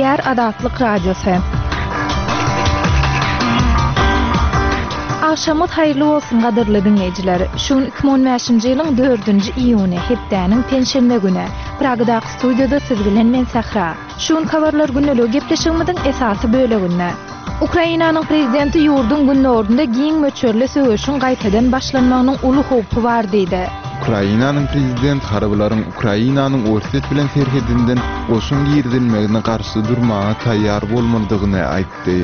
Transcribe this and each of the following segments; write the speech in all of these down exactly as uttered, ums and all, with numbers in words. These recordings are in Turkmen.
Gepleýär Azatlyk Radiosy. Agşamyňyz haýyrly bolsun gadyrly diňleýjiler. Şu gün iki müň on bäşinji ýylyň dördünji iýuny, hepdäniň penşenbe güni. Pragadaky studiýada siz bilen men Sähra. Şu gün habarlar gündeligi gepleşigimiziň esasy böleginde. Ukrainanyň prezidenti ýurduň gündogarynda giň möçberli söweşiň gaýtadan başlanmagynyň uly howpy bar diýdi. Ukrainanyň prezident harbylaryň Ukrainanyň Orsýet bilen serhedinden goşun girizilmegine garşy durmaga taýýar bolmalydygyny aýtdy.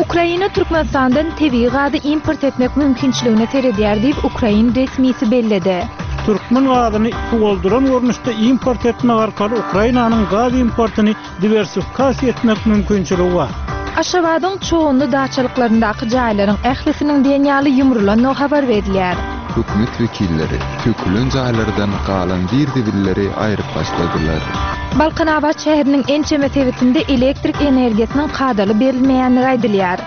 Ukraina Türkmenistandan tebigy gazy import etmek mümkinçiligine seredýär diýip, ukrain resmisi belledi. Türkmen gazyny suwaldyran görnüşde import etmek arkaly Ukrainanyň gaz importyny diwersifikasiýa etmek mümkinçiligi bar. Aşgabadyň çoğunly daçalyklaryndaky jaýlaryň ählisiniň diýen ýaly ýumrulandygy habar berilýär. Hökümet wekilleri sökülen jaýlardan galan zir-zibilleri aýryp başladylar. Balkanabat şäheriniň ençeme sebitinde elektrik energiýasynyň kadaly berilmeýändigi aýdylýar.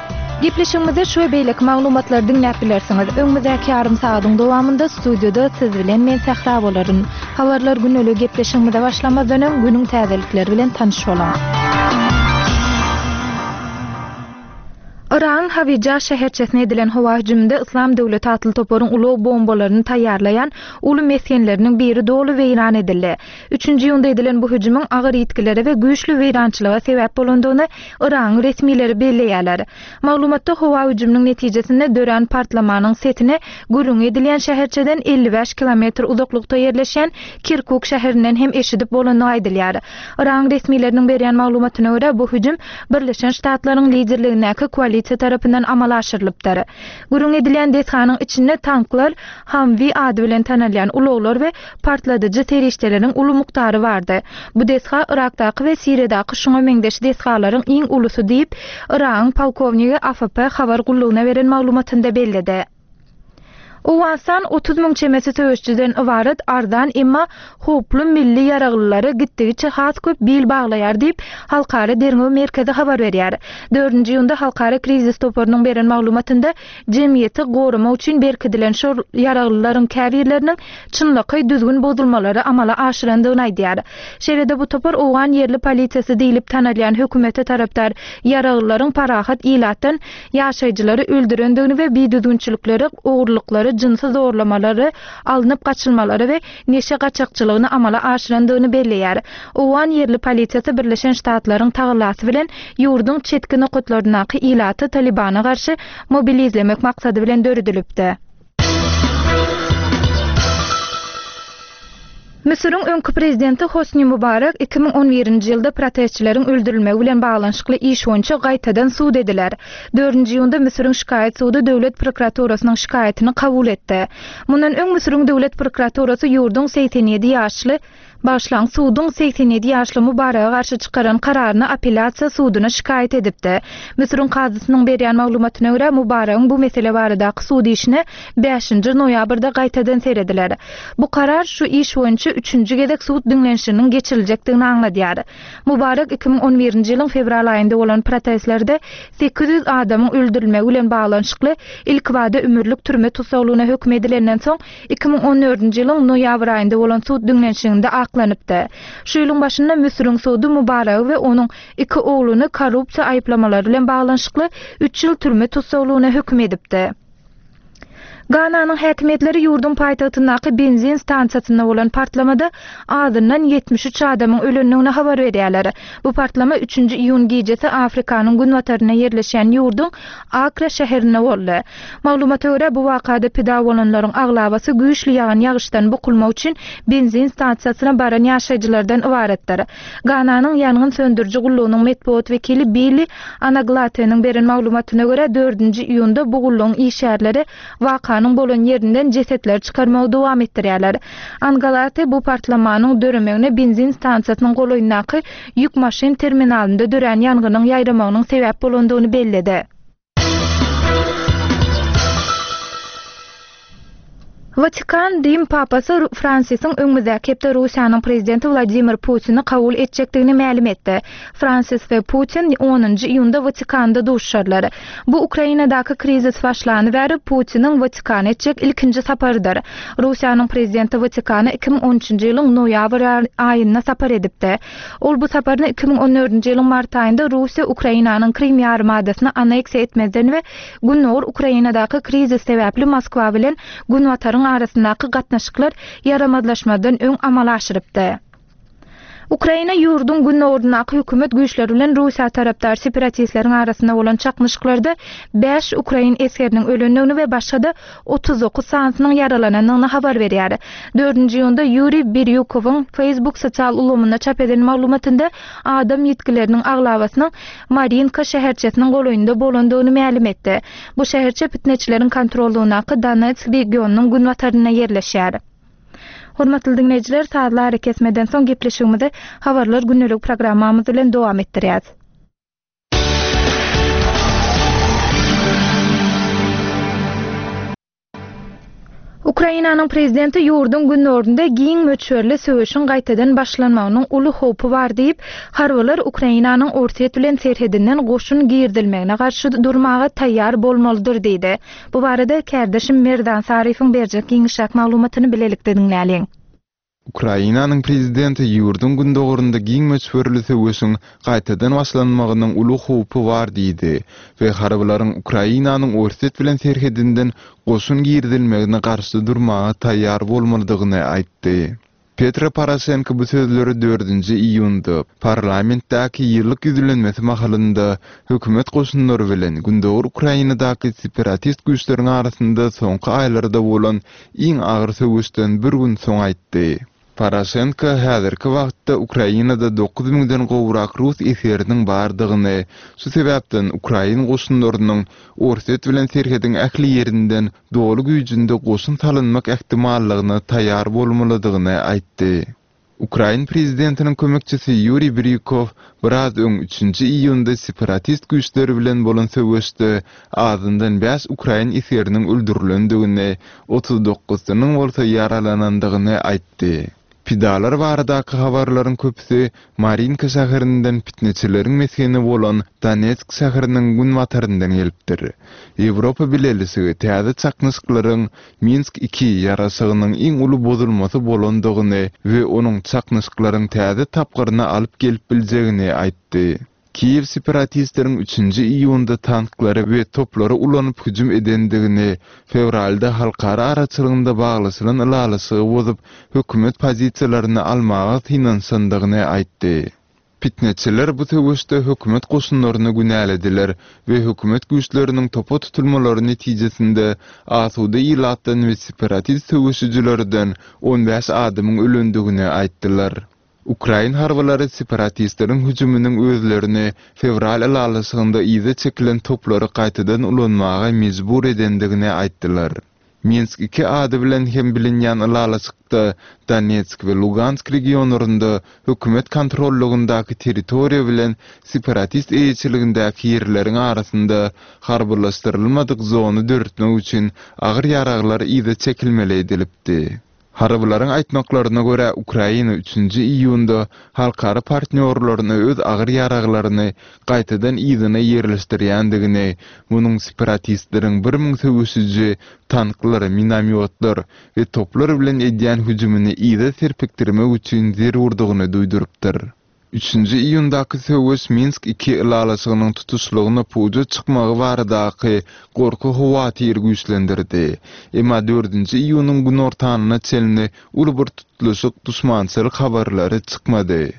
Gepleşigimizde şu we beýleki maglumatlary diňläp bilersiňiz. Öňümizdäki ýarym sagadyň dowamynda studiýada siz bilen men Sähra bolaryn. Habarlar güneligi gepleşigimize başlamazdan öň günüň täzelikleri bilen tanyş boluň. Yragyň Hawija şäherçesine edilen howa hüjüminde Yslam döwleti atly toparyň ulag bombalaryny taýýarlaýan uly mesgenleriniň biri doly weýran edildi. Üçünji iýunda edilen bu hüjümiň agyr ýitgilere we güýçli weýrançylyga sebäp bolandygyny Yragyň resmileri belleýärler. Maglumatda howa hüjüminiň netijesinde dörän partlamanyň sesine gürrüň edilýän şäherçeden elli bäş kilometr uzaklykda ýerleşýän Kirkuk şäherinden hem eşidip bolandygy aýdylýar. Yragyň resmileriniň berýän maglumatyna görä, bu hüjüm Birleşen Ştatlaryň liderligindäki koalisiýa tarapyndan amala aşyrylypdyr. Gürrüň edilýän desganyň içinde tanklar, Humvee ady bilen tanalýan ulaglar we partladyjy serişdeleriň uly mukdary bardy. Bu desga Yrakdaky we Siriýadaky şuňa meňzeş desgalaryň iň ulusy diýip, Yragyň polkownigi A F P habar gullugyna beren maglumatynda belledi. Owganystan otuz müň çemesi söweşçiden ybarat arzan emma howply milli ýaraglylara gitdigiçe has köp bil baglaýar diýip, Halkara derňew merkezi habar berýär. Dördünji iýunda Halkara krizis toparynyň beren maglumatynda jemgyýeti goramak üçin berkidilen şol ýaraglylaryň käbirleriniň çynlakaý düzgün bozulmalary amala aşyrandygyny aýdýar. Şeýle-de bu topar owgan ýerli polisiýasy diýlip tanalýan hökümete tarapdar ýaraglylaryň parahat ilatdan ýaşaýjylary öldürendigini we bidüzgünçilikleri, ogurlyklary, jynsy zorlamalary, alnyp gaçylmalary we neşe gaçakçylygyny amala aşyrandygyny belleýär. Owgan ýerli polisiýasy Birleşen Ştatlaryň tagallasy bilen ýurduň çetki nokatlaryndaky ilaty Talibana garşy mobilizlemek maksady bilen döredilipdi. Müsüriň öňki prezidenti Hosni Mubarak iki müň on birinji ýylda protestçileriň öldürilmegi bilen baglanyşykly iş boýunça gaýtadan sud ediler. Dördünji iýunda Müsüriň şikaýat sudy döwlet prokuraturasynyň şikaýatyny kabul etdi. Mundan öň Müsüriň döwlet prokuraturasy ýurduň segsen ýedi ýaşly Başlan suduň segsen ýedi ýaşly Mubaraka garşy çykaran kararyny apellýasiýa suduna şikaýat edipdi. Müsüriň kazysynyň berýän maglumatyna görä Mubaragyň bu mesele baradaky sud işine bäşinji noýabrda gaýtadan serediler. Bu karar şu iş boýunça üçünji gezek sud diňlenişiniň geçiriljekdigini aňladýar. Mubarak iki müň on birinji ýylyň fewral aýynda bolan protestlerde sekiz ýüz adamyň öldürilmegi bilen baglanyşykly ilkibada ömürlik türme tussaglygyna höküm edilenden soň iki müň on dördünji ýylyň noýabr aýynda bolan sud diňlenişiginde aklanypdy. Şu ýylyň başynda Müsüriň sudy Mubaragy we onuň iki ogluny korrupsiýa aýyplamalary bilen baglanyşykly üç ýyl türme tussaglygyna höküm edipdi. Gananyň häkimiýetleri ýurduň paýtagtyndaky benzin stansiýasynda bolan partlamada azyndan ýetmiş üç adamyň ölendigini habar berýärler. Bu partlama üçünji iýun gijesi Afrikanyň günbatarynda ýerleşýän ýurduň Akra şäherinde boldy. Maglumata görä bu wakada pida bolanlaryň aglabasy güýçli ýagan ýagyşdan bukulmak üçin benzin stansiýasyna baran ýaşaýjylardan ybaratdyr. Gananyň ýangyn söndüriji gullugynyň metbugat wekili Billy Anaglateniň beren maglumatyna görä dördünji iýunda bu gullugyň işgärleri wakanyň bolan ýerinden jesetleri çykarmagy dowam etdirýärler. Angalate bu partlamanyň döremegine benzin stansiýasynyň golaýyndaky ýük maşyn terminalynda dörän ýangynyň ýaýramagynyň sebäp bolandygyny belledi. Watikan Rim Papasy Fransisiň öňümizdäki hepde Russiýanyň prezidenti Wladimir Putini kabul etjekdigini mälim etdi. Fransis we Putin onunjy iýunda Watikanda duşuşarlar. Bu Ukrainadaky krizis başlany bäri Putiniň Watikana etjek ilkinji saparydyr. Russiýanyň prezidenti Watikana iki müň on üçünji ýylyň noýabr aýynda sapar edipdi. Ol bu saparyny iki müň on dördünji ýylyň mart aýynda Russiýa Ukrainanyň Krim ýarymadasyny anneksiýa etmezden we Gündogar Ukrainadaky krizis sebäpli Moskwa bilen Günbataryň arasyndaky gatnaşyklar ýaramazlaşmazdan öň amala aşyrypdy. Ukraina ýurduň gündogaryndaky hökümet güýçleri bilen Russiýa tarapdar separatistleriň arasynda bolan çaknyşyklarda bäş ukrain esgeriniň ölendigini we başga-da otuz dokuz sanysynyň ýaralanandygyny habar berýär. Dördünji iýunda Ýuriý Birýukowyň Facebook sosial ulgamynda çap eden maglumatynda adam ýitgileriniň aglabasynyň Marinka şäherçesiniň golaýynda bolandygyny mälim etdi. Bu şäherçe pitneçileriň kontrollugyndaky Donetsk regionynyň günbatarynda ýerleşýär. Hormatly dinleýjiler, sazly ara kesmeden soň gepleşigimizi habarlar gündelik programmamyz bilen dowam etdirýäris. Ukrainanyň prezidenti ýurduň gündogarynda giň möçberli söweşiň gaýtadan başlanmagynyň uly howpy bar diýip, harbylar Ukrainanyň Orsýet bilen serhedinden goşun girizilmegine garşy durmaga taýýar bolmalydyr diýdi. Bu barada kärdeşim Merdan Saryfyň berjek giňişräk maglumatyny bilelikde diňläliň. Ukrainanyň prezidenti ýurduň gündogarynda giň möçberli söweşiň gaýtadan başlanmagynyň uly howpy bar diýdi we harbylaryň Ukrainanyň Orsýet bilen serhedinden goşun girizilmegine garşy durmaga taýýar bolmalydygyny aýtdy. Petro Poroşenko bu sözleri dördünji iýunda parlamentdäki ýyllyk ýüzlenmesi mahalynda hökümet goşunlary bilen Gündogar Ukrainadaky separatist güýçleriň arasynda soňky aýlarda bolan iň agyr söweşden bir gün soň aýtdy. Poroşenko häzirki wagtda Ukrainada dokuz müňden gowrak rus esgeriniň bardygyny, şu sebäpden Ukrain goşunlarynyň Orsýet bilen serhediň ähli ýerinden doly güýjünde goşun salynmak ähtimallygyna taýýar bolmalydygyny aýtdy. Ukrain prezidentiniň kömekçisi Ýuriý Birýukow biraz öň üçünji iýunda separatist güýçleri bilen bolan söweşde azyndan bäş ukrain esgeriniň öldürilendigini, otuz dokuzynyň bolsa ýaralanandygyny aýtdy. Pidalar baradaky habarlaryň köpüsi Marinka şäherinden pitneçileriň mesgeni bolan Donetsk şäheriniň günbataryndan gelipdir. Ýewropa Bileleşigi täze çaknyşyklaryň Minsk iki ýaraşygynyň iň uly bozulmasy bolandygyny we onuň çaknyşyklaryň täze tapgyryna alyp gelip biljegini aýtdy. Kiýew separatistleriň üçünji iýunda tanklary we toplary ulanyp hüjüm edendigini, fewralda halkara araçylygynda baglaşylan ylalaşygy bozup, hökümet pozisiýalaryny almaga synanyşandygyny aýtdy. Pitneçiler bu söweşde hökümet goşunlaryny günälediler we hökümet güýçleriniň topa tutulmalary netijesinde asuda ilatdan we separatist söweşijilerden on bäş adamyň ölendigini aýtdylar. Ukrain harbylary separatistleriň hüjüminiň özlerini fewral ylalaşygynda yza çekilen toplary gaýtadan ulanmaga mejbur edendigini aýtdylar. Minsk iki ady bilen hem bilinýän ylalaşykda Donetsk we Lugansk regionlarynda hökümet kontrollugyndaky territoriýa bilen separatist eýeçiligindäki ýerleriň arasynda harbylaşdyrylmadyk zony döretmek üçin agyr ýaraglar yza çekilmeli edilipdi. Harbylaryň aýtmaklaryna görä Ukraina üçünji iýunda halkara partnýorlaryny öz agyr ýaraglaryny gaýtadan yzyna ýerleşdirýändigini, munuň separatistleriň bir müň söweşiji tanklar, minomyotlar we toplar bilen edýän hüjümini yza serpikdirmek üçin zerurdygyny duýdurypdyr. Üçünji iýundaky söweş Minsk iki ylalaşygynyň tutuşlygyna puja çykmagy baradaky gorky howatyr güýçlendirdi. Emma dördünji iýunyň günortanyna çenli uly bir tutluşyk duşmançylyk habarlary çykmady.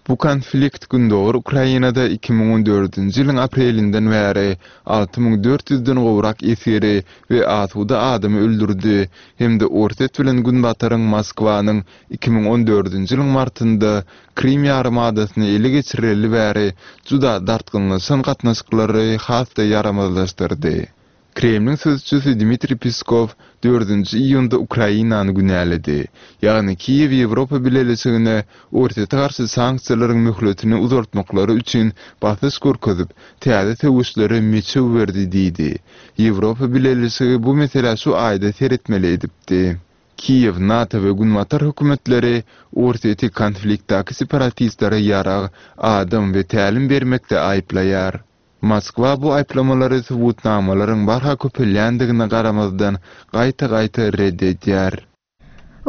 Bu konflikt Gündogar Ukrainada iki müň on dördünji ýylyň aprelinden bäri alty müň dört ýüzden gowrak esgeri we asuda adamy öldürdi hem-de Orsýet bilen Günbataryň Moskwanyň iki müň on dördünji ýylyň martynda Krim ýarymadasyny ele geçireli bäri juda dartgynlaşan gatnaşyklary has-da ýaramazlaşdyrdy. Kremliň sözçüsi Dmitriý Peskov dördünji iýunda Ukrainany günäledi. Ýagny Kiýew Ýewropa Bileleşigine Orsýete garşy sanksiýalaryň möhletini uzaltmaklary üçin basyş görkezip, täze söweşlere meçew berdi diýdi. Ýewropa Bileleşigi bu meselä şu aýda seretmeli edipdi. Kiýew, NATO we Günbatar hökümetleri Orsýeti konfliktdäki separatistlere ýarag, adam we tälim bermekde aýyplaýar. Moskwa bu aýyplamalary subutnamalaryň barha köpelýändigine garamazdan gaýta-gaýta red edýär.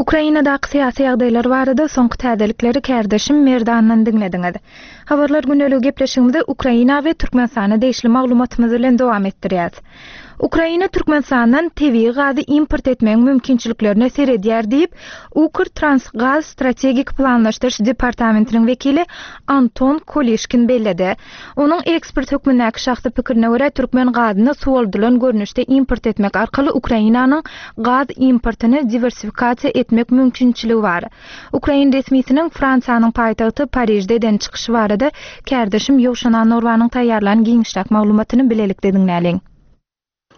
Ukrainadaky syýasy ýagdaýlar barada soňky täzelikleri kärdeşim Merdandan diňlediňiz. Habarlar gündeligi gepleşigimizi Ukraina we Türkmenistana degişli maglumatymyz bilen dowam etdirýäs. Ukraina Türkmenistandan tebigy gazy import etmegiň mümkinçiliklerine seredýär diýip, Ukrtransgaz strategik planlaşdyryş departamentiniň wekili Anton Kolişkin belledi. Onuň ekspert hökmündäki şahsy pikirine görä, türkmen gazyny suwaldylan görnüşde import etmek arkaly Ukrainanyň gaz importyny diwersifikasiýa etmek mümkinçiligi bar. Ukrain resmisiniň Fransiýanyň paýtagty Parižde eden çykyşy barada kärdeşim Ýowşan Annagurbanyň taýýarlan giňişräk maglumatyny bilelikde diňläliň.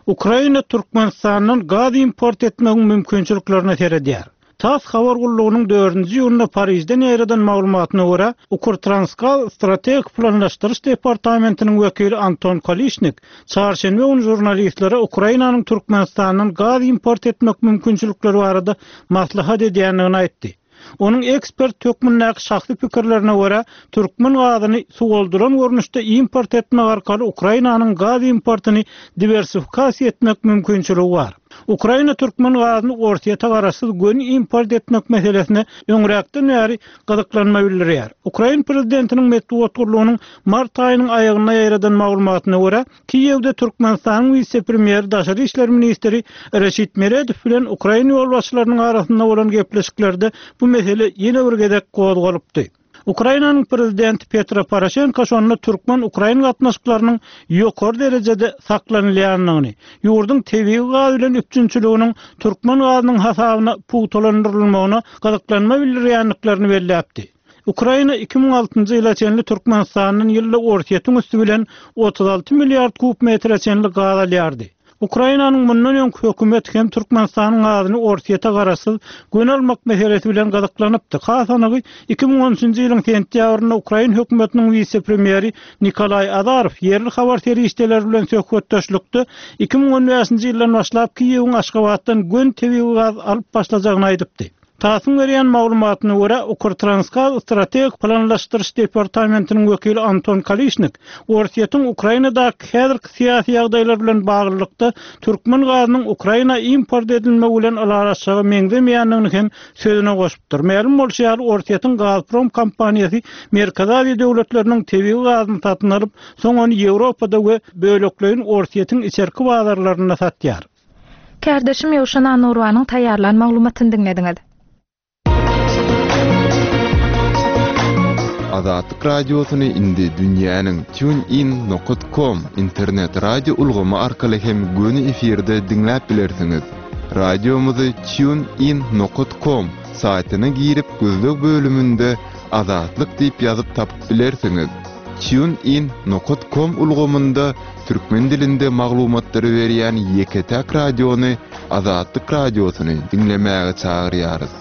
Ukraina Türkmenistandan gaz import etmegiň mümkinçiliklerine seredýär. TASS habar gullugynyň dördünji iýunda Parižden ýaýradan maglumatyna görä, Ukrtransgaz strategik planlaşdyryş departamentiniň wekili Anton Kolişnik çarşenbe güni žurnalistlere Ukrainanyň Türkmenistandan gaz import etmek mümkinçilikleri barada maslahat edýändigini aýtdy. Onuň ekspert hökmündäki şahsy pikirlerine görä, türkmen gazyny suwaldylan görnüşde import etmek arkaly Ukrainanyň gaz importyny diwersifikasiýa etmek mümkinçiligi bar. Ukraina türkmen gazyny Orsýete garaşsyz göni import etmek meselesine öňräkden bäri gyzyklanma bildirýär. Ukrain prezidentiniň metbugat gullugynyň mart aýynyň aýagynda ýaýradan maglumatyna görä, Kiýewde Türkmenistanyň wise-premýeri daşary işler ministri Reşit Meredow bilen ukrain ýolbaşçylarynyň arasynda bolan gepleşiklerde bu mesele ýene bir gezek gozgalypdy. Ukrainanyň prezidenti Petro Poroşenko şonda türkmen-ukrain gatnaşyklarynyň ýokary derejede saklanylýandygyny, ýurduň tebigy gaz bilen üpjünçiliginiň türkmen gazynyň hasabyna pugtalandyrylmagyna gyzyklanma bildirýändiklerini belläpdi. Ukraina iki müň altynjy ýyla çenli Türkmenistandan ýylda Orsýetiň üsti bilen otuz alty milliard kub metre çenli gaz alýardy. Ukrainanyň mundan öňki hökümeti hem Türkmenistanyň gazyny Orsýete garaşsyz göni almak meselesi bilen gyzyklanypdy. Has anygy iki müň on üçünji ýylyň sentýabrynda Ukrain hökümetiniň wise-premýeri Nikolaý Azarow ýerli habar serişdeleri bilen söhbetdeşlikde iki müň on bäşinji ýyldan başlap Kiýewiň Aşgabatdan göni tebigy gaz alyp başlajagyny aýdypdy. TASS-yň berýän maglumatyna görä, Ukrtransgaz strategik planlaşdyryş departamentiniň wekili Anton Kolişnik Orsýetiň Ukrainadaky häzirki syýasy ýagdaýlar bilen baglylykda türkmen gazynyň Ukraina import edilmegi bilen ylalaşjaga meňzemeýändigini hem sözüne goşupdyr. Mälim bolşy ýaly, Orsýetiň Gazprom kompaniýasy Merkezi Aziýa döwletleriniň tebigy gazyny satyn alyp, soň ony Ýewropada we bölekleýin Orsýetiň içerki bazarlarynda satýar. Kärdeşim Ýowşan Annagurbanyň taýýarlan maglumatyny diňlediňiz. Azatlyk Radiosyny indi dünýäniň TuneIn nokta com internet radio ulgamy arkaly hem göni efirde diňläp bilersiňiz. Radiomyzy TuneIn nokta com saýtyna girip gözleg bölüminde Azatlyk diýip ýazyp tapyp bilersiňiz. TuneIn nokta com ulgamynda türkmen dilinde maglumatlary berýän ýeke-täk radiony Azatlyk Radiosyny diňlemäge çagyrýarys.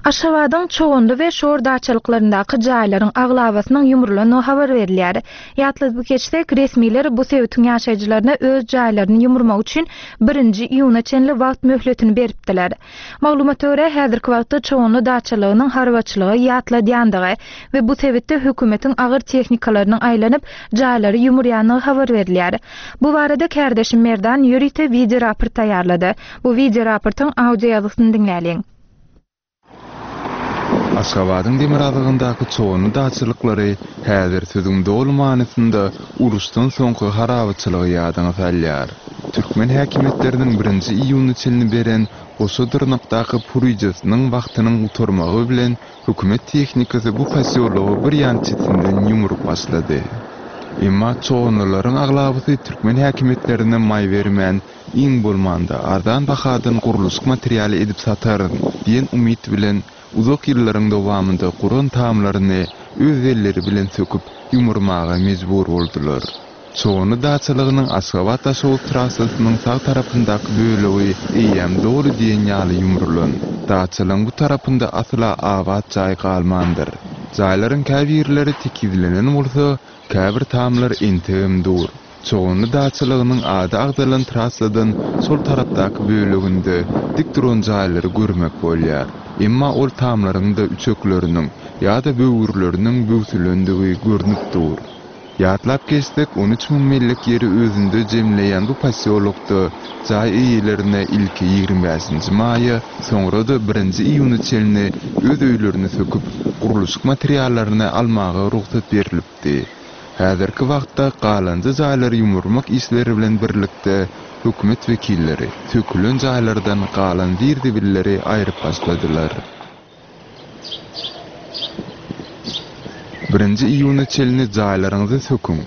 Aşgabadyň Çoganly we Şor daçalyklaryndaky jaýlaryň aglabasynyň ýumrulandygy habar berilýär. Ýatladyp geçsek, resmiler bu sebitiň ýaşaýjylaryna öz jaýlaryny ýumurmak üçin birinji iýuna çenli wagt möhletini beripdiler. Maglumata görä, häzirki wagtda Çoganly daçalygynyň harbaçylygy ýatladýandygy we bu sebitde hökümetiň agyr tehnikalarynyň aýlanyp jaýlary ýumurýandygy habar berilýär. Bu barada kärdeşim Merdan ýörite video raport taýýarlady. Bu video raportyň audio ýazgysyny diňläliň. Aşgabadyň demirgazygyndaky Çoganly daçalyklary häzir sözüň doly manysynda uruşdan soňky harabaçylygy ýadyňa salýar. Türkmen häkimiýetleriniň birinji iýuna çenli beren goşa dyrnakdaky puryjasynyň wagtynyň gutarmagy bilen hökümet tehnikasy bu posýology bir ýan çetinden ýumrup başlady. Emma çoganlylaryň aglabasy türkmen häkimiýetlerine maý bermän, iň bolmanda arzan bahadan gurluşyk materialy edip sataryn diýen umyt bilen uzak ýyllaryň dowamynda guran tamlaryny öz elleri bilen söküp ýumurmaga mejbur boldular. Çoganly daçalygynyň Aşgabat Daşoguz trassasynyň sag tarapyndaky bölegi eýýäm doly diýen ýaly ýumrulan. Daçalygyň bu tarapynda asla abat jaý galmandyr. Jaýlaryň käbirleri tekizlenen bolsa, käbir tamlar entegem dur. Çoganly daçalygynyň ady agzalan trassadan sol tarapdaky böleginde dik duran jaýlary görmek bolýar. Emma ol tamlaryň-da üçekleriniň ýa-da böwürleriniň böwsülendigi görnüp dur. Ýatlap geçsek, on üç müň mellek ýeri özünde jemleýän bu posýolokda jaý eýelerine ilki ýigrimi bäşinji maýa, soňra-da birinji iýuna çenli öz öýlerini söküp, gurluşyk materiallaryny almaga rugsat berilipdi. Häzirki wagtda galanjy jaýlary ýumurmak işleri bilen birlikde hökümet wekilleri sökülen jaýlardan galan zir-zibilleri aýryp başladylar. Birinji iýuna çenli jaýlaryňyzy söküň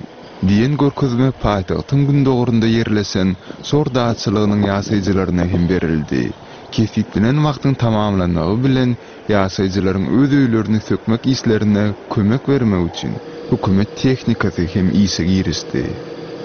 diýen görkezme paýtagtyň gündogarynda ýerleşen Şor daçalygynyň ýaşaýjylaryna hem berildi. Kesgitlenen wagtyň tamamlanmagy bilen ýaşaýjylaryň öz öýlerini sökmek işlerine kömek bermek üçin hökümet tehnikasy hem işe girişdi.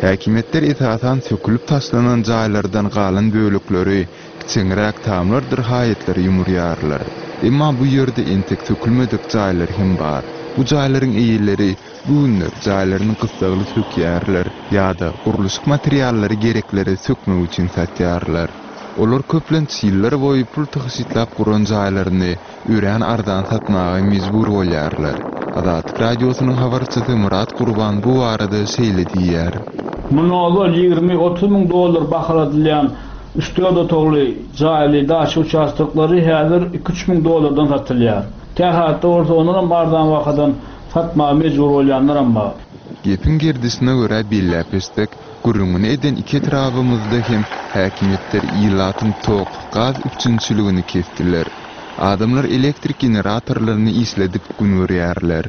Häkimiýetler esasan sökülip taşlanan jaýlardan galan bölekleri kiçeňräk tamlardyr haýatlary ýumurýarlar. Emma bu ýerde entek sökülmedik jaýlar hem bar. Bu jaýlaryň eýeleri bu günler jaýlaryny gyssagly sökýärler ýa-da gurluşyk materiallary gerekleri sökmek üçin satýarlar. Olar köplenç ýyllar boýy pul tygşytlap guran jaýlaryny örän arzan satmaga mejbur bolýarlar. Azatlyk radiosynyň habarçysy Murat Gurban bu barada şeýle diýýär. Muny ozal ýigrimi otuz müň dollar bahaladylýan üç dört otagly jaýly daçy uçastoklary häzir iki üç müň dollardan satylýar. Tähatda bolsa ondan arzan bahadan satmaga mejbur bolýanlar hem bar. Gepiň gerdişine görä belläp geçsek, gürrüňini eden iki etrabymyzda hem häkimiýetler ilatyň tok, gaz üpjünçiligini kesdiler. Adamlar elektrik generatorlaryny işledip gün görýärler.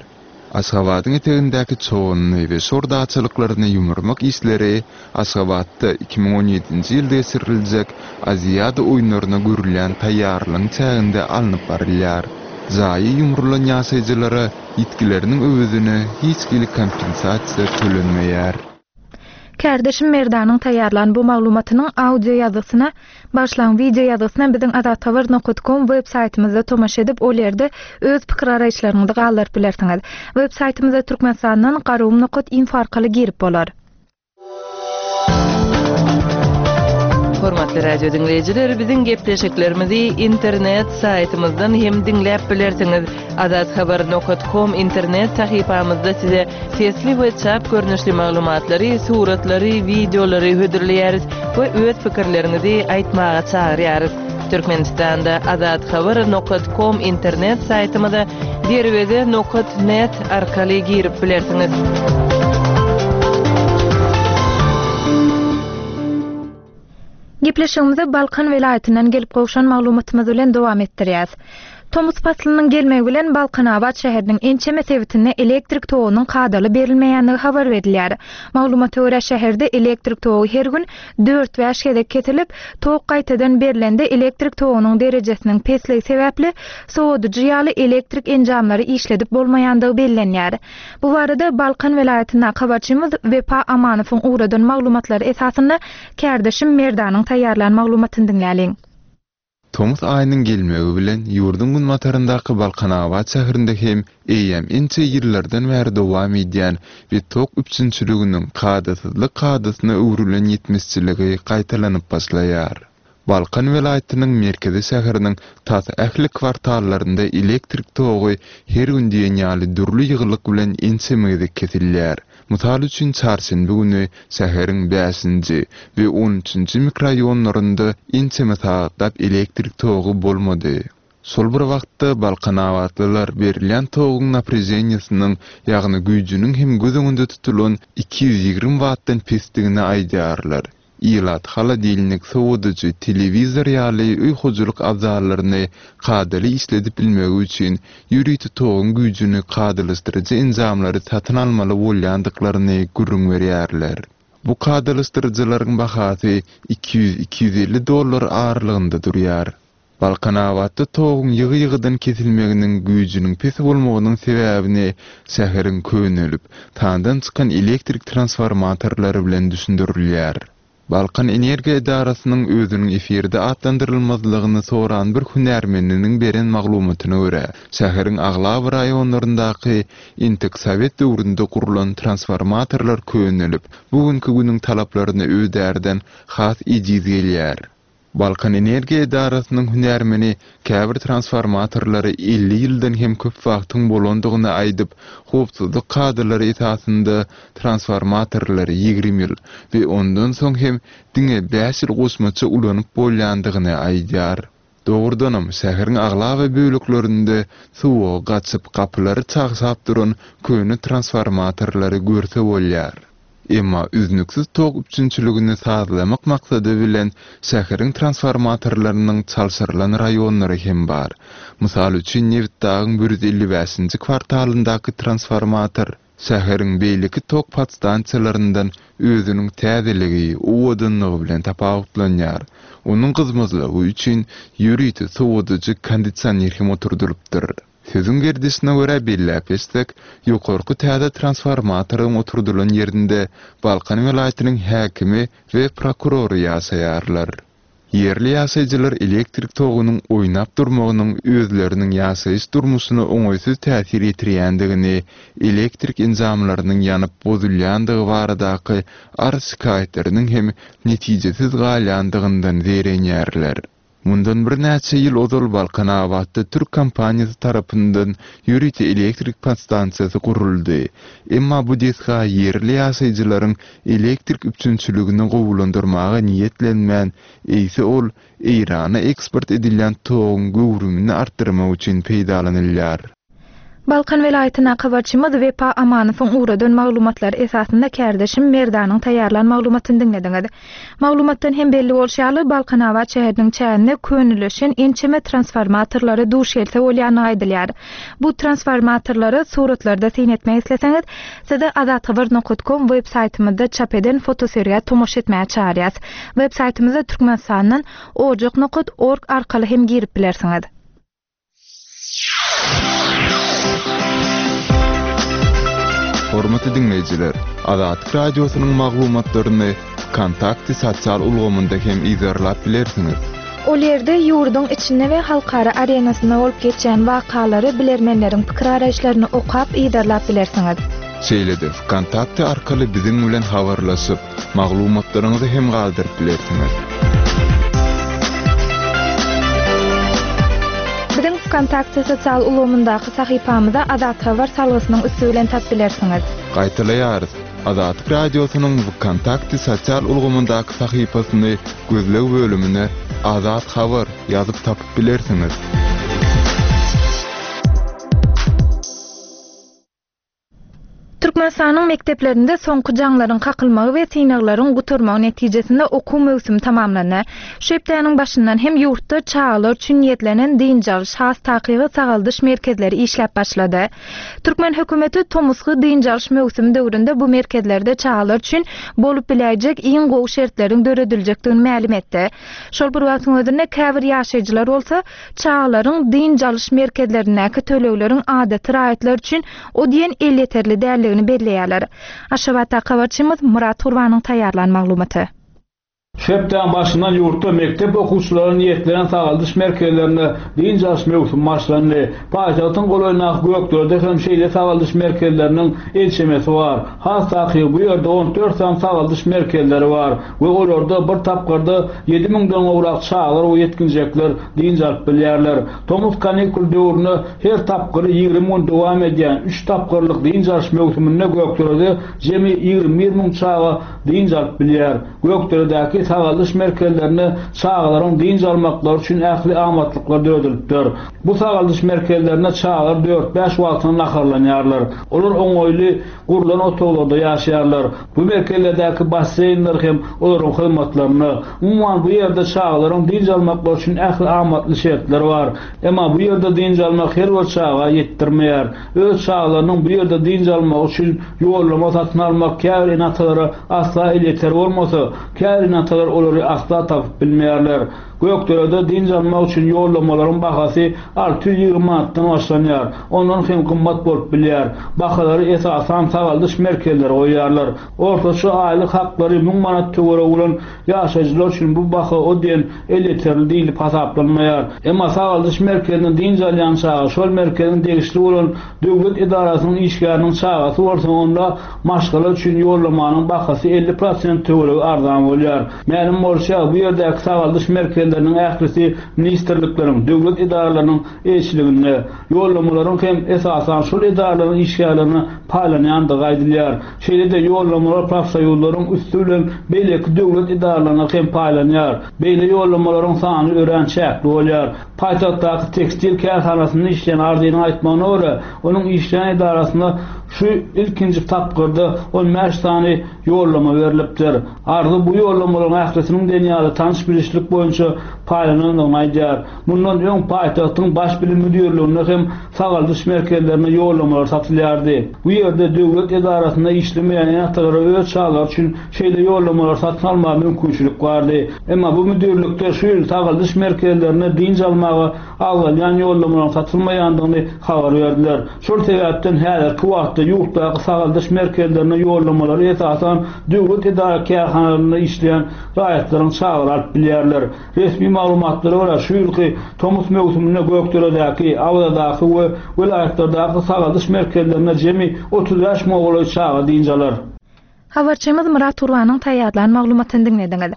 Aşgabadyň etegindäki Çoganly we Şor daçalyklaryny ýumurmak işleri Aşgabatda iki müň on ýedinji ýylda geçiriljek Aziada oýunlaryna görülýän taýýarlygyň çäginde alnyp barylýar. Jaýy ýumrulan ýaşaýjylara ýitgileriniň öwezine hiç hili kompensasiýa tölenmeýär. Kärdeşim Merdanyň taýýarlan bu maglumatynyň audio ýazgysyna, başlan video ýazgysyna biziň azathabar nokta com web saýtymyzda tomaşa edip, ol ýerde öz pikir araýyşlaryňyzy galdyryp bilersiňiz. Web saýtymyza Türkmenistandan garum nokta info arkaly girip bolar. Hormatly radio dinleýjiler, biziň gepleşiklerimizi internet saýtymyzdan hem diňläp bilersiňiz. Azathabar nokta com internet sahypamyzda size sesli we çap görnüşli maglumatlary, suratlary, wideolary hödürleýäris we öz pikirleriňizi aýtmaga çagyrýarys. Türkmenistanda azathabar nokta com internet saýtymyza derweze nokta net arkaly girip bilersiňiz. Gepleşigimize Balkan welaýatyndan gelip gowşan maglumatymyz bilen dowam etdirýäs. Tomus paslynyň gelmegi bilen Balkanabat şäheriniň ençeme sebitinde elektrik togunyň kadaly berilmeýändigi habar berilýär. Maglumata görä şäherde elektrik togy her gün dört bäş gezek kesilip, tok gaýtadan berilende elektrik togunyň derejesiniň pesligi sebäpli sowadyjy ýaly elektrik enjamlary işledip bolmaýandygy bellenýär. Bu barada Balkan welaýatyndaky habarçymyz Wepa Amanowyň ugradan maglumatlary esasynda kärdeşim Merdanyň taýýarlan maglumatyny diňläliň. Tomus aýynyň gelmegi bilen ýurduň günbataryndaky Balkanabat şäherinde hem eýýäm ençe ýyllardan bäri dowam edýän we tok üpjünçiliginiň kadasyzlyk kadasyna öwrülen ýetmezçiligi gaýtalanyp başlaýar. Balkan welaýatynyň merkezi şäheriniň tas ähli kwartallarynda elektrik togy her gün diýen ýaly dürli ýygylyk bilen ençeme gezek kesilýär. Mysal üçin çarşenbe güni şäheriň bäşinji we on üçünji mikrorayonlarynda ençeme sagatlap elektrik togy bolmady. Şol bir wagtda Balkanabatlylar berilýän toguň naprejeniýasynyň, ýagny güýjüniň hem göz öňünde tutulan iki ýüz ýigrimi wattdan pesdigini aýdýarlar. Ilat holodilnik, sowadyjy, telewizor ýaly öý hojalyk abzallaryny kadaly işledip bilmegi üçin ýörite toguň güýjüni kadalaşdyryjy enjamlary satyn almaly bolýandyklaryny gürrüň berýärler. Bu kadalaşdyryjylaryň bahasy iki ýüz iki ýüz elli dollar aralygynda durýar. Balkanabatda toguň ýygy-ýygydan kesilmeginiň güýjüniň pes bolmagynyň sebäbini şäheriň könelip, tandan çykan elektrik transformatorlary bilen düşündirilýär. Balkan Energiýa edarasynyň özüniň efirde atlandyrylmazlygyny soran bir hünärmeniniň beren maglumatyna görä, şäheriň aglaba raýonlaryndaky entek sowet döwründe gurlan transformatorlar könelip, bugünkü günüň talaplaryna ödärden has ejiz gelýär. Balkan Energiýa edarasynyň hünärmeni käbir transformatorlary elli ýyldan hem köp wagtyň bolandygyny aýdyp, howpsuzlyk kadalary esasynda transformatorlary ýigrimi ýyl we ondan soň hem diňe bäş ýyl goşmaça ulanyp bolýandygyny aýdýar. Dogrudanam şäheriň aglaba böleklerinde suwa gaçyp gapylary çagşap duran köne transformatorlary görse bolýar. Emma üznüksiz tok üpjünçiligini sazlamak maksady bilen şäheriň transformatorlarynyň çalşyrylan raýonlary hem bar. Mysal üçin Nebitdagyň bir ýüz elli bäşinji kwartalyndaky transformator şäheriň beýleki tok podstansiýalaryndan özüniň täzeligi, owadanlygy bilen tapawutlanýar. Onuň gyzmazlygy üçin ýörite sowadyjy kondisioner hem oturdylypdyr. Sözüň gerdişine görä belläp geçsek, ýokarky täze transformatoryň oturdylan ýerinde Balkan welaýatynyň häkimi we prokurory ýaşaýarlar. Ýerli ýaşaýjylar elektrik togunyň oýnap durmagynyň özleriniň ýaşaýyş durmuşyna oňaýsyz täsir ýetirýändigini, elektrik enjamlarynyň ýanyp bozulýandygy baradaky arz şikaýatlarynyň hem netijesiz galýandygyndan zeýrenýärler. Mundan birnäçe ýyl ozal Balkanabatda Türk kompaniýasy tarapyndan ýörite elektrik podstansiýasy guruldy. Emma bu desga ýerli ýaşaýjylaryň elektrik üpjünçiligini gowulandyrmaga niýetlenmän, eýse ol Eýrana eksport edilýän toguň göwrümini artdyrmak üçin peýdalanylýar. Balkan welaýatyna habarçymyz Wepa Amanowyň ugradan maglumatlar esasynda kärdeşim Merdanyň taýýarlan maglumatyny diňlediňiz. Maglumatdan hem belli bolşy ýaly, Balkanabat şäheriniň çäginde könelişen ençeme transformatorlara duş gelse bolýany aýdylýar. Bu transformatorlara suratlarda syn etmek isleseňiz, size azathabar nokta com web saýtymyzda çap eden fotosergä tomaşa etmäge çagyrýas. Web saýtymyzda Türkmenistandan ojak nokta org arkaly hem girip bilersiňiz. Hormatly dinleýjiler, Azatlyk radiosynyň maglumatlaryny Kontakty sosial ulgamynda hem izerlap bilersiňiz. Ol ýerde ýurduň içinde we halkara arenasynda bolup geçýän wakalary bilermenleriň pikir araýyşlaryny okap izerlap bilersiňiz. Şeýle-de Kontakty arkaly biziň bilen habarlaşyp, maglumatlaryňyzy hem galdyryp bilersiňiz. Biziň Kontakty sosial ulgamyndaky sahypamyza Azat Habar salgysynyň üsti bilen tap bilersiňiz. Gaýtalaýarys. Azatlyk radiosynyň Kontakty sosial ulgamyndaky sahypasyny gözleg bölümine Azat Habar ýazyp tapyp bilersiňiz. Türkmenistanyň mekdeplerinde soňky jaňlaryň kakylmagy we synaglaryň gutarmagy netijesinde okuw möwsümi tamamlandy. Şu hepdäniň başyndan hem ýurtda çagalar üçin niýetlenen dynç alyş, has takygy sagaldyş merkezleri işläp başlady. Türkmen hökümeti tomusky dynç alyş möwsümi döwründe bu merkezlerde çagalar üçin bolup biläýjek iň gowy şertleriň dörediljekdigini mälim etdi. Şol bir wagtyň özünde käbir ýaşaýjylar bolsa çagalaryň dynç alyş merkezlerindäki tölegleriň adaty raýatlar üçin o diýen elýeterli däldigini belleýärler. Aşgabatda habarçymyz Murat Gurbanyň taýýarlan maglumaty. Şu hepdäniň başyndan ýurtda mekdep okuwçylaryny niýetlenen sagaldyş merkezlerinde dynç alyş möwsümi başlandy. Paýtagtyň golaýyndaky Gökderde hem şeýle sagaldyş merkezleriniň ençemesi bar. Has takygy bu ýerde on dört sany sagaldyş merkezleri bar we olarda bir tapgyrda ýedi müňden gowrak çagalar we ýetginjekler dynç alyp bilýärler. Tomus kanikul döwründe her tapgyry ýigrimi gün dowam edýän üç tapgyrlyk dynç alyş möwsüminde Gökderede jemi ýigrimi bir müň çaga dynç alyp bilýär. Gökderedäki sagaldyş merkezlerinde çagalaryň dynç almaklary üçin ähli amatlyklar döredilipdir. Bu sagaldyş merkezlerinde çagalar dört bäş wagtyna naharlanýarlar. Olar oňaýly gurlan otaglarda ýaşaýarlar. Bu merkezlerdäki basseýnler hem olaryň hyzmatlaryna. Umuman bu ýerde çagalaryň dynç almaklary üçin ähli amatly şertler bar. Emma bu ýerde dynç almak her bir çaga ýetdirmeýär. Öz çagalarynyň bu ýerde dynç almagy üçin ýollama satyn almak käbir ene-atalara asla elýeter bolmasa, käbir ene-atalar olary asla tapyp bilmeýärler. Gökderede dynç almak üçin ýollamalaryň bahasy alty ýüz ýigrimi manatdan başlanýar. Ondan hem gymmat bolup bilýär. Bahalary esasan sagaldyş merkezleri goýýarlar. Ortaça aýlyk haklary müň manat töweregi bolan ýaşaýjylar üçin bu baha o diýen elýeterli diýlip hasaplanmaýar. Emma sagaldyş merkezinde dynç alýan çaga şol merkeziň degişli bolan döwlet edarasynyň işgäriniň çagasy bolsa onda maşgala üçin ýollamanyň bahasy elli prosent töweregi arzan bolýar. Mälim bolşy bu ýerdäki sagaldyş merkezleriniň ählisi ministrlikleriň, döwlet edaralarynyň eýeçiliginde, ýollamalaryň hem esasan şol edaralaryň işgärlerine paýlanýandygy aýdylýar. Şeýle-de ýollamalar profsoýuzlaryň üsti bilen beýleki döwlet edaralaryna hem paýlanýar. Beýle ýollamalaryň sany örän çäkli bolýar. Paýtagtdaky tekstil kärhanasynda işleýän Arzynyň aýtmagyna görä, onuň işleýän edarasynda şu ilkinji tapgyrda on bäş sany ýollama berlipdir. Arzy bu ýollamalaryň ählisiniň diýen ýaly tanyş bilişlik boýunça paýlanandygyny aýdýar. Mundan öň paýtagtyň baş bilim müdirliginde hem sagaldyş merkezlerine ýollamalar satylýardy. Bu ýerde döwlet edarasynda işlemeýän ene-atalara öz çagalary üçin şeýle ýollamalar satyn almaga mümkinçilik bardy. Emma bu müdirlikde şu ýyl sagaldyş merkezlerine dynç almaga agzalýan ýollamalaryň satylmaýandygyny habar berdiler. Şol sebäpden häzirki wagtda ýurtdaky sagaldyş merkezlerine ýollamalary esasan döwlet edara kärhanalarynda işleýän raýatlaryň çagalary alyp bilýärler. Resmi maglumatlara görä şu ýylky tomus möwsüminde Gökderedäki, Awazadaky we welaýatlardaky sagaldyş merkezlerine jemi otuz bäş müňe golaý çaga dynç alar. Habarçymyz Murat Turbanyň taýýarlan maglumatyny diňlediňiz.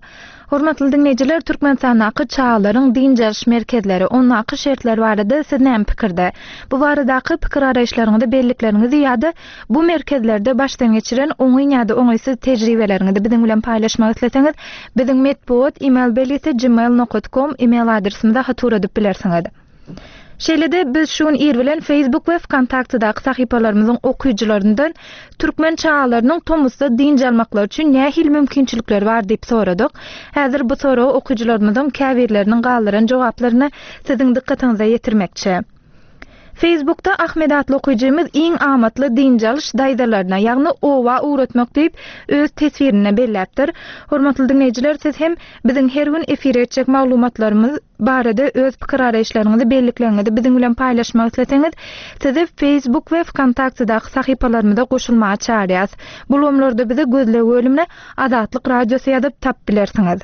Hormatly diňleýjiler, Türkmenistandaky çagalaryň dynç alyş merkezleri, ondaky şertler barada siz näme pikirde? Bu baradaky pikir araýyşlaryňyzy, bellikleriňizi ýa-da bu merkezlerde başdan geçiren oňyn ýa-da oňaýsyz tejribeleriňizi biziň bilen paýlaşmak isleseňiz, biziň metbugat e-mail belgisi gmail nokta com e-mail adresimize hat ugradyp bilersiňiz. Şeýle-de biz şu gün ir bilen Facebook we Vkontaktedaky sahypalarymyzyň okyjylaryndan türkmen çagalarynyň tomusda dynç almaklary üçin nähili mümkinçilikleri bar diýip soradyk. Häzir bu soragy okyjylarymyzyň käbirleriniň galdyran jogaplaryny siziň dykgatyňyza ýetirmekçi. Facebookda Ahmet atly okyjymyz iň amatly dynç alyş daýzalaryna, ýagny owa ugratmak diýip öz teswirine belläpdir. Hormatly diňleýjiler, siz hem biziň her gün efire etjek maglumatlarymyz barada öz pikir araýyşlaryňyzy, bellikleriňizi biziň bilen paýlaşmak isleseňiz, sizi Facebook we Vkontaktedaky sahypalarymyza goşulmaga çagyrýarys. Bu ulgamlarda bizi gözleg bölümine Azatlyk Radiosy ýazyp tap bilersiňiz.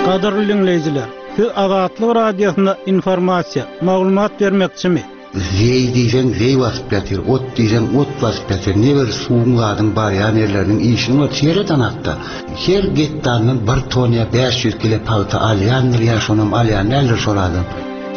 Gadyrly dinleýjiler, siz Azatlyk Radiosyna informasiýa, maglumat bermekçimi? Zeý diýseň zeý basyp ýatyr, ot diýseň ot basyp ýatyr. Ne bir suwuň zadyň barýan ýerleriniň işini bar, seret anakda. Her gektardan bir ton ýa bäş ýüz kilo pagta alýandyr ýa şonam alýan däldir şol adam.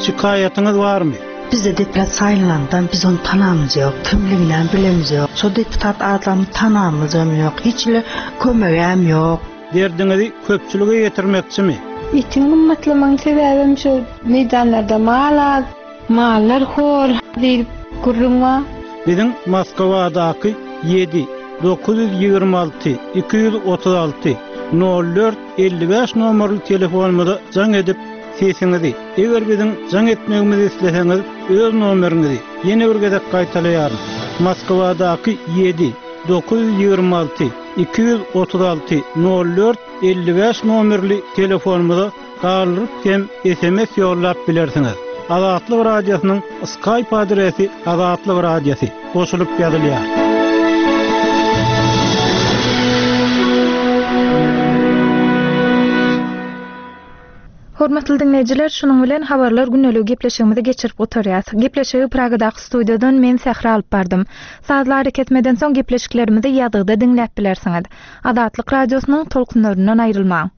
Şikaýatyňyz barmy? Bizde deputat saýlandan biz onu tanamyz ýok, kimliginden bilemiz ýok. Şo deputat adamy tanamyz hem ýok, hiç ile kömegem ýok. Derdiňizi köpçülige ýetirmekçimi? Etiň gymmatlamagyň sebäbim şu meýdanlarda mal az, mallar hor diýip gürrüň bar. Biziň Moskwadaky ýedi, dokuz ýüz ýigrimi alty, iki ýüz otuz alty, nol dört, elli bäş nomerli telefonymyza jaň edip sesiňizi, eger biziň jaň etmegimizi isleseňiz, öz nomeriňizi ýene bir gezek gaýtalaýaryn. Moskwadaky ýedi, dokuz ýüz ýigrimi alty, iki ýüz otuz alty, nol dört, elli bäş nomerli telefonymyza galdyryp hem S M S ýollap bilersiňiz. Azatlyk Radiosynyň Skype adresi Azatlyk Radiosy goşulyp ýazylýar. Hormatly dinleýjiler, şunuň bilen habarlar gündelik gepleşigimizi geçirip oturýas. Gepleşigi Pragadaky studiýadan men Sähra alyp bardym. Sazly hareketmeden soň gepleşiklerimizi ýazgyda diňläp bilersiňiz. Azatlyk Radiosynyň tolkunlaryndan aýrylmaň.